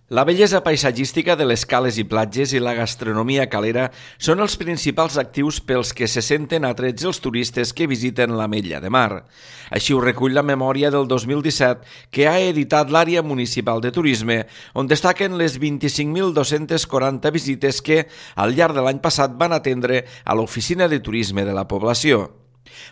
La bellesa paisatgística de les cales i platges i la gastronomia calera són els principals actius pels que se senten atrets els turistes que visiten l'Ametlla de Mar. Així ho recull la memòria del 2017 que ha editat l'Àrea Municipal de Turisme, on destaquen les 25.240 visites que, al llarg de l'any passat, van atendre a l'Oficina de Turisme de la població.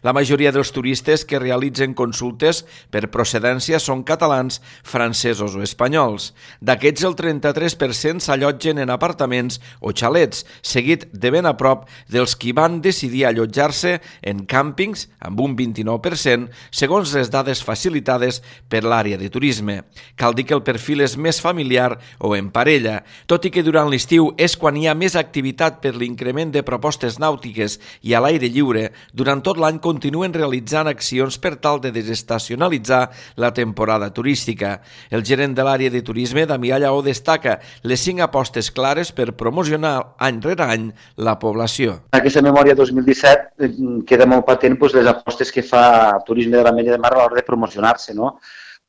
La majoria dels turistes que realitzen consultes per procedència són catalans, francesos o espanyols. D'aquests, el 33% s'allotgen en apartaments o xalets, seguit de ben a prop dels qui van decidir allotjar-se en càmpings, amb un 29%, segons les dades facilitades per l'àrea de turisme. Cal dir que el perfil és més familiar o en parella, tot i que durant l'estiu és quan hi ha més activitat per l'increment de propostes nàutiques i a l'aire lliure. Durant tot l'any continuen realitzant accions per tal de desestacionalitzar la temporada turística. El gerent de l'àrea de turisme, Damià Lleó, destaca les 5 apostes clares per promocionar any rere any la població. En aquesta memòria 2017 queda molt patent les apostes que fa Turisme de l'Ametlla de Mar a l'hora de promocionar-se, no?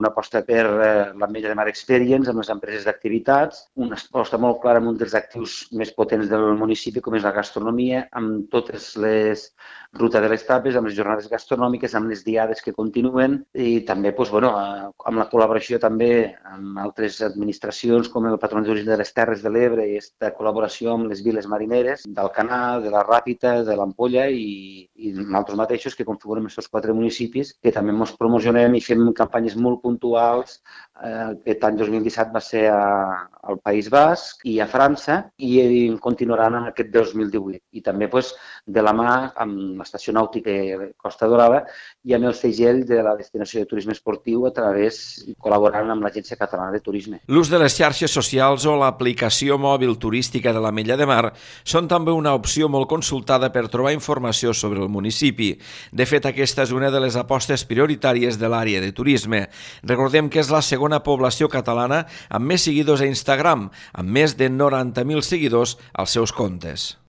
Una aposta per l'Ametlla de Mar Experience amb les empreses d'activitats, una aposta molt clara amb un dels actius més potents del municipi, com és la gastronomia, amb totes les rutes de les tapes, amb les jornades gastronòmiques, amb les diades que continuen i també amb la col·laboració també amb altres administracions com el Patronat de Turisme de les Terres de l'Ebre i aquesta col·laboració amb les viles marineres d'Alcanar, de la Ràpita, de l'Ampolla i nosaltres mateixos que configurem aquests 4 municipis que també ens promocionem i fem campanyes molt puntuals. Aquest any 2017 va ser al País Basc i a França i continuaran en aquest 2018. I també de la mà amb l'estació nàutica Costa Dorada i amb el segell de la destinació de turisme esportiu col·laborant amb l'Agència Catalana de Turisme. L'ús de les xarxes socials o l'aplicació mòbil turística de l'Ametlla de Mar són també una opció molt consultada per trobar informació sobre el municipi. De fet, aquesta és una de les apostes prioritàries de l'àrea de turisme. Recordem que és la segona població catalana amb més seguidors a Instagram, amb més de 90.000 seguidors als seus comptes.